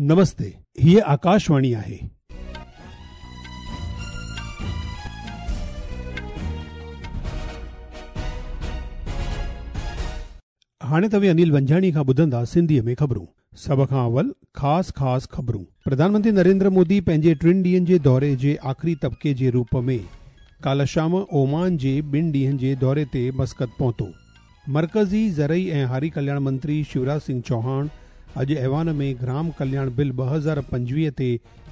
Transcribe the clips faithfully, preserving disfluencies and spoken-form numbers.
नमस्ते, हीअ आकाशवाणी आहे। हाणे तव्हीं अनिल वंजाणी खां ॿुधंदा सिंधीअ में ख़बरूं। सभ खां अवल ख़ासि ख़ासि ख़बरूं। प्रधानमंत्री नरेंद्र मोदी पंहिंजे टिनि ॾींहंनि जे दौरे जे आख़िरी तबिके जे रूप में काल्ह शाम ओमान जे ॿिनि ॾींहंनि जे दौरे ते मस्कत पहुतो। मर्कज़ी ज़रई ऐं हारी कल्याण मंत्री शिवराज सिंह चौहान अॼु ऐवान में ग्राम कल्याण बिल ॿ हज़ार पंजवीह ते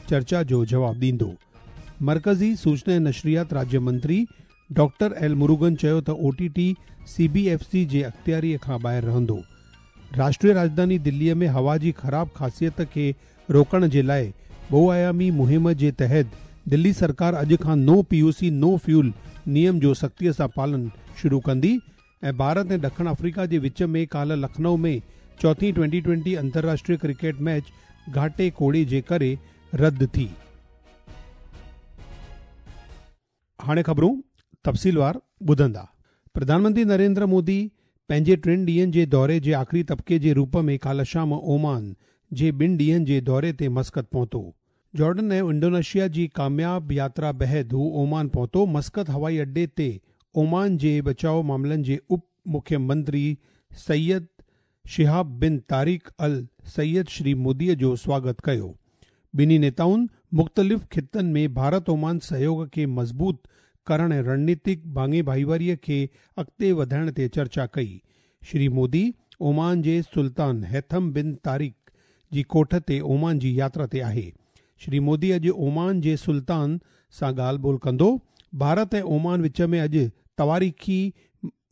चर्चा जो जवाबु ॾींदो। मर्कज़ी सूचना ऐं नशरियात राज्य मंत्री डॉक्टर एल मुरुगन चयो त O T T C B F C जे अख़्तियारीअ खां ॿाहिरि रहंदो। राष्ट्रीय राजधानी दिल्लीअ में हवा जी ख़राब ख़ासियत खे रोकण जे लाइ बहुआयामी मुहिम जे तहत दिल्ली सरकार अॼु खां no P U C no fuel नियम जो सख़्तीअ सां पालन शुरू कंदी। ऐं भारत ऐं ॾखिण अफ्रीका जे विच में काल्ह लखनऊ में चौथी ट्वेंटी ट्वेंटी अंतर्राष्ट्रीय क्रिकेट मैच घाटे कोड़े जे करे रद्द थी। हाणे ख़बरूं तफ़सीलवार ॿुधंदा। प्रधानमंत्री नरेंद्र मोदी पंहिंजे टिनि ॾींहंनि जे दौरे जे आख़िरी तबिके जे रूप में काल्ह शाम ओमान जे ॿिनि ॾींहंनि जे दौरे ते मस्कत पहुतो। जॉर्डन ऐं इंडोनेशिया जी कामयाब यात्रा बाद हू ओमान पहुतो। मस्कत हवाई अड्डे ते ओमान जे बचाव मामलनि जे उप मुख्यमंत्री सैयद शिहाब बिन तारिक अल सैयद श्री मोदीअ जो स्वागत कयो। ॿिन्ही नेताउनि मुख़्तलिफ़ ख़ितनि में भारत ओमान सहयोग खे मज़बूत करण ऐं रणनीतिक भाङे भाईवारीअ खे अॻिते वधाइण ते चर्चा कई। श्री मोदी ओमान जे सुल्तान हैथम बिन तारिक जी कोठ ते ओमान जी यात्रा ते आहे। श्री मोदी अॼु ओमान जे सुल्तान सां ॻाल्हि ॿोल कंदो। भारत ऐं ओमान विच में अॼु तवारीख़ी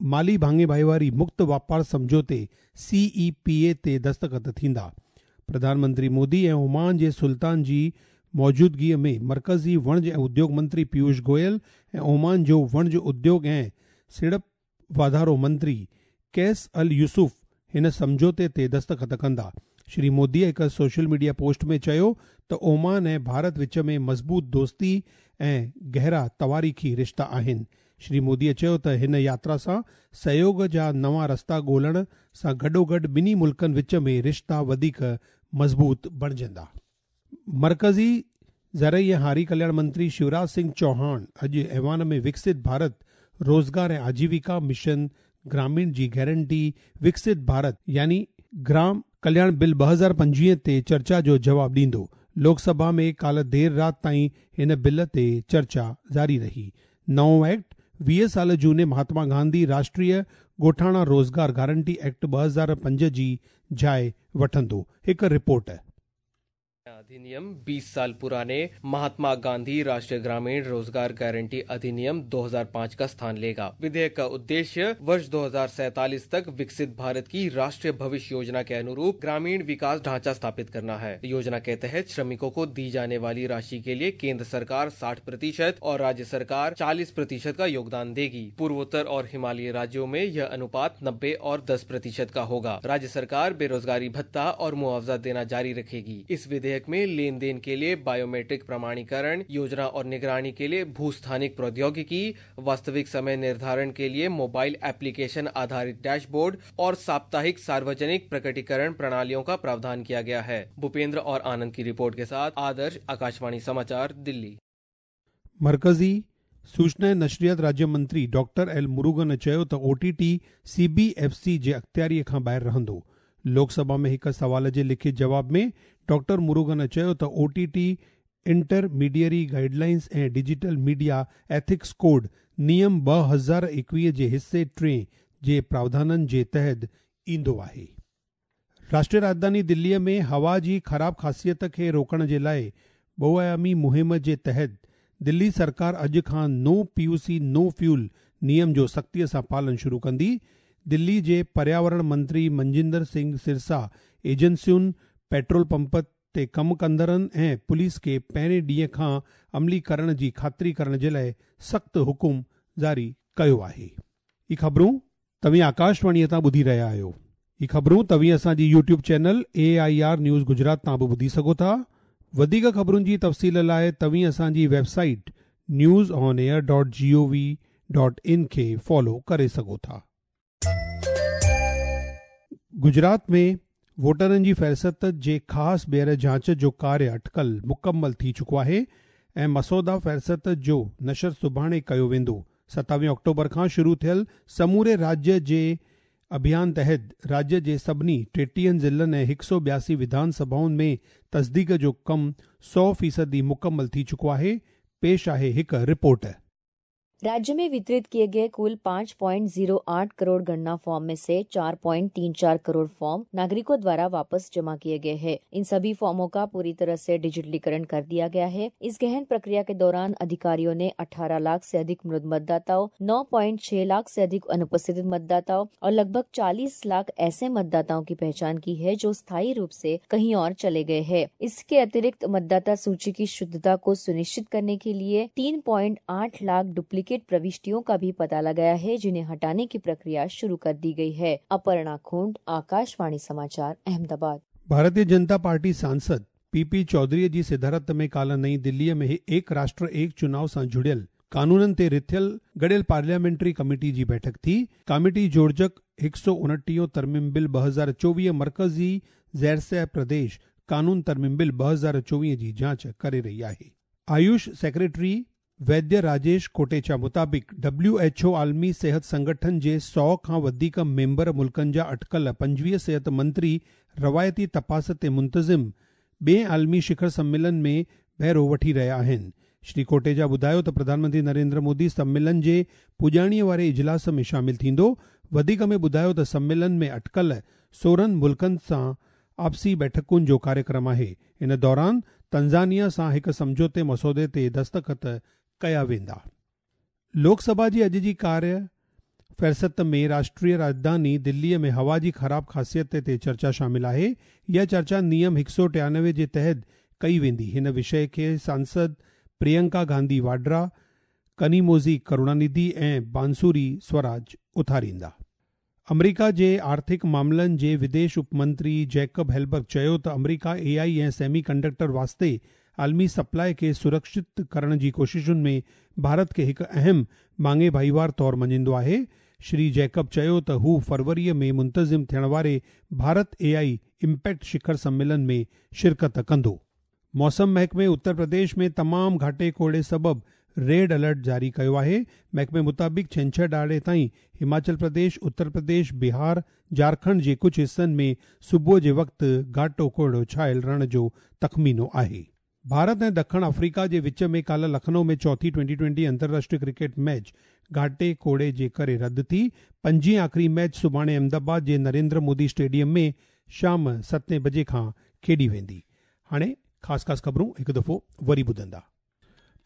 माली भाङे भाईवारी मुक्त वापार सम्झौते सी ई पी ए ते दस्तख़त थींदा। प्रधानमंत्री मोदी ऐं ओमान जे सुल्तान जी मौजूदगीअ में मर्कज़ी वणज ऐं उद्योग मंत्री पीयूष गोयल ऐं ओमान जो वणज उद्योग ऐं सीड़प वाधारो मंत्री कैस अल यूसुफ हिन सम्झौते ते दस्तख़त कंदा। श्री मोदी हिकु सोशल मीडिया पोस्ट में चयो त ओमान ऐं भारत विच में मज़बूत दोस्ती ऐं गहरा तवारीख़ी रिश्ता आहिनि। श्री मोदीअ चयो त हिन यात्रा सां सहयोग जा नवां रस्ता ॻोल्हण सां गॾोगॾु ॿिन्ही मुल्कनि विच में रिश्ता वधीक मज़बूत बणिजंदा। मर्कज़ी ज़रई ऐं हारी कल्याण मंत्री शिवराज सिंह चौहान अॼु ऐवान में विकसित भारत रोज़गार ऐं आजीविका मिशन ग्रामीण जी गारंटी विकसित भारत यानी ग्राम कल्याण बिल ॿ हज़ार पंजवीह ते चर्चा जो जवाबु ॾींदो। लोकसभा में काल्ह देरि राति ताईं हिन बिल ते चर्चा जारी रही। नओं एक्ट वीह साल जूने महात्मा गांधी राष्ट्रीय ॻोठाणा रोज़गार गारंटी एक्ट ॿ हज़ार पंज जी जाइ वठंदो। हिकु रिपोर्ट। अधिनियम बीस साल पुराने महात्मा गांधी राष्ट्रीय ग्रामीण रोजगार गारंटी अधिनियम दो हज़ार पाँच का स्थान लेगा। विधेयक का उद्देश्य वर्ष दो हज़ार सैतालीस तक विकसित भारत की राष्ट्रीय भविष्य योजना के अनुरूप ग्रामीण विकास ढांचा स्थापित करना है। योजना के तहत श्रमिकों को दी जाने वाली राशि के लिए केंद्र सरकार साठ प्रतिशत और राज्य सरकार चालीस प्रतिशत का योगदान देगी। पूर्वोत्तर और हिमालयी राज्यों में यह अनुपात नब्बे और दस प्रतिशत का होगा। राज्य सरकार बेरोजगारी भत्ता और मुआवजा देना जारी रखेगी। इस विधेयक में लेन then के लिए बायोमेट्रिक प्रमाणीकरण योजना और निगरानी के लिए भूस्थानिक प्रौद्योगिकी, वास्तविक समय निर्धारण के लिए मोबाइल एप्लीकेशन आधारित डैशबोर्ड और साप्ताहिक सार्वजनिक प्रकटीकरण प्रणालियों का प्रावधान किया गया है। भूपेंद्र और आनंद की रिपोर्ट के साथ आदर्श, आकाशवाणी समाचार, दिल्ली। मर्कज़ी सूचना ऐं नशरियात राज्य मंत्री डॉक्टर एल मुरुगन चयो त O T T C B F C जे अख़्तियारीअ खां ॿाहिरि रहंदो। लोकसभा में हिकु सवाल जे लिखित जवाब में डॉक्टर मुरुगन चयो त O T T intermediary guidelines ऐं डिजिटल मीडिया एथिक्स कोड नियम ॿ हज़ार एकवीह जे हिस्से टे जे प्रावधाननि जे तहत ईंदो आहे। राष्ट्रीय राजधानी दिल्लीअ में हवा जी ख़राब ख़ासियत खे रोकण जे लाइ बहुआयामी मुहिम जे तहत दिल्ली सरकार अॼु खां no P U C no fuel नियम जो सख़्तीअ सां पालन शुरू कंदी। दिल्ली जे पर्यावरण मंत्री मंजिंदर सिंह सिरसा एजेंसियुनि, पेट्रोल पंप ते कमु कंदड़नि ऐं पुलिस खे पहिरें ॾींहं खां अमली करण जी ख़ातिरी करण जे लाइ सख़्तु हुकुम जारी कयो आहे। इहे ख़बरूं तव्हीं आकाशवाणीअ तां ॿुधी रहिया आहियो। इहे ख़बरूं तव्हीं असांजी YouTube channel A I R news Gujarat तां बि ॿुधी सघो था। वधीक ख़बरुनि जी तफ़सील लाइ तव्हीं असांजी website news on air dot G O V dot in खे फॉलो करे सघो था। गुजरात में वोटरनि जी फ़हरिस्त जे ख़ासि ॿीहर जांच जो कार्य अटकल मुकमल थी चुको आहे ऐं मसौदा फ़हरिस्त जो नशर सुभाणे कयो वेंदो। सतावीह अक्टूबर खां शुरू थियल समूरे राज्य जे अभियान तहत राज्य जे सभिनी टेटीहनि ज़िलनि ऐं हिकु सौ ॿियासी विधान सभाउनि में तस्दीक जो कमु सौ फ़ीसदी मुकमल थी चुको आहे। पेश आहे हिकु रिपोर्ट। राज्य में वितरित किए गए कुल पाँच पॉइंट जीरो आठ करोड़ गणना फॉर्म में से चार पॉइंट तीन चार करोड़ फॉर्म नागरिकों द्वारा वापस जमा किए गए हैं। इन सभी फॉर्मों का पूरी तरह से डिजिटलीकरण कर दिया गया है। इस गहन प्रक्रिया के दौरान अधिकारियों ने अठारह लाख से अधिक मृत मतदाताओं, नौ पॉइंट छह लाख से अधिक अनुपस्थित मतदाताओं और लगभग चालीस लाख ऐसे मतदाताओं की पहचान की है जो स्थायी रूप से कहीं और चले गए हैं। इसके अतिरिक्त मतदाता सूची की शुद्धता को सुनिश्चित करने के लिए तीन पॉइंट आठ लाख डुप्लीकेट प्रविष्टियों का भी पता लगाया है, जिन्हें हटाने की प्रक्रिया शुरू कर दी गई है। अपर्णा खोंड, आकाशवाणी समाचार, अहमदाबाद। भारतीय जनता पार्टी सांसद पीपी चौधरीअ जी सदारत में काल्ह नई दिल्लीअ में एक राष्ट्र एक चुनाव सां जुड़ियल कानूननि ते रिथियल गॾियल पार्लियामेंट्री कमेटी जी बैठक थी। कमेटी जोड़जक हिकु सौ उणटीह तरमीम बिल ॿ हज़ार चोवीह मर्कज़ी ज़ैरसह प्रदेश कानून तरमीम बिल ॿ हज़ार चोवीह जी जांच करे रही आहे। आयुष सेक्रेटरी वैद्य राजेश कोटेचा मुताबिक़ डब्ल्यू एच ओ आलमी सेहत संगठन जे सौ खां वधीक मेंबर मुल्कनि जा अटकल पंजवीह सेहत मंत्री रवायती तपास ते मुंतज़िम ॿिए आलमी शिखर सम्मेलन में बहिरो वठी रहिया आहिनि। श्री कोटेचा ॿुधायो त प्रधानमंत्री नरेंद्र मोदी सम्मेलन जे पुॼाणीअ वारे इजलास में शामिल थींदो। वधीक में ॿुधायो त सम्मेलन में अटकल सोरहं मुल्कनि सां आपसी बैठकुनि जो कार्यक्रम आहे। इन दौरान तंज़ानिया सां हिकु सम्झौते मसौदे ते दस्तख़त कया वेंदा। लोकसभा जी अॼु जी कार्य फ़हरिस्त में राष्ट्रीय राजधानी दिल्लीअ में हवा जी ख़राब ख़ासियत ते चर्चा शामिल आहे। इहा चर्चा नियम हिकु सौ टियानवे जे तहत कई वेंदी। हिन विषय खे सांसद प्रियंका गांधी वाड्रा, कनीमोज़ी करुणानिधि ऐं बांसुरी स्वराज उथारींदा। अमरीका जे आर्थिक मामलनि जे विदेश उपमंत्री जैकब हेलबर्ग चयो त अमरीका ए आई ऐं सेमी कंडक्टर वास्ते आलमी सप्लाई खे सुरक्षित करण जी कोशिशुनि में भारत खे हिकु अहम माङे भाईवार तौर मञींदो आहे। श्री जैकब चयो त हू फरवरीअ में मुंतज़िम थियण वारे भारत ए I impact शिखर सम्मेलन में शिरकत कंदो। मौसम महकमे उत्तर प्रदेश में तमाम घाटे कोहड़े सबब रेड अलर्ट जारी कयो आहे। महकमे मुताबिक़ छंछर ॾहाड़े ताईं हिमाचल प्रदेश, उत्तर प्रदेश, बिहार, झारखंड जे कुझु हिसनि में सुबुह जे वक़्तु घाटो कोहड़ो छायल रहण जो तख़मीनो आहे। भारत ऐं दखिण अफ्रीका जे विच में काल्ह लखनऊ में चौथी ट्वेंटी ट्वेंटी अंतर्राष्ट्रीय क्रिकेट मैच घाटे कोड़े जे करे रद्द थी। पंजीं आख़िरी मैच सुभाणे अहमदाबाद जे नरेंद्र मोदी स्टेडियम में शाम सतें बजे खां खेॾी वेंदी। हाणे ख़ासि ख़ासि ख़बरूं हिकु दफ़ो वरी ॿुधंदा।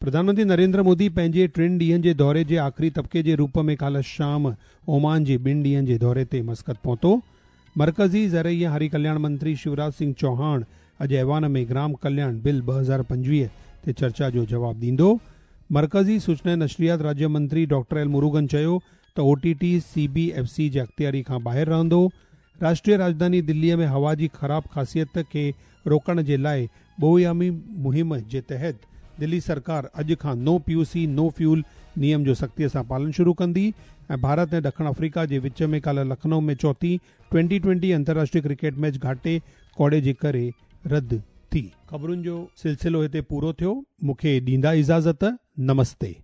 प्रधानमंत्री नरेंद्र मोदी पंहिंजे टिनि ॾींहनि जे दौरे जे आख़िरी तबिके जे रूप में काल्ह शाम ओमान जे ॿिनि ॾींहनि जे दौरे ते मस्कत पहुतो। मर्कज़ी ज़रई हारी कल्याण मंत्री शिवराज सिंह चौहान अॼु ऐवान में ग्राम कल्याण बिल ॿ हज़ार पंजवीह ते चर्चा जो जवाबु ॾींदो। मर्कज़ी सूचना नशरियात राज्य मंत्री डॉक्टर एल मुरुगन चयो त O T T C B F C जे अख़्तियारी खां ॿाहिरि रहंदो। राष्ट्रीय राजधानी दिल्लीअ में हवा जी ख़राब ख़ासियत खे रोकण जे लाइ बहुआयामी मुहिम जे तहत दिल्ली सरकार अॼु खां no P U C no fuel नियम जो सख़्तीअ सां पालन शुरू कंदी। ऐं भारत ऐं ॾखिण अफ्रीका जे विच में काल्ह लखनऊ में चौथी ट्वेंटी ट्वेंटी अंतर्राष्ट्रीय क्रिकेट मैच घाटे कोड़े जे करे रद्द थी। ख़बरुनि जो सिलसिलो हिते पूरो थियो। मूंखे ॾींदा इजाज़त। नमस्ते।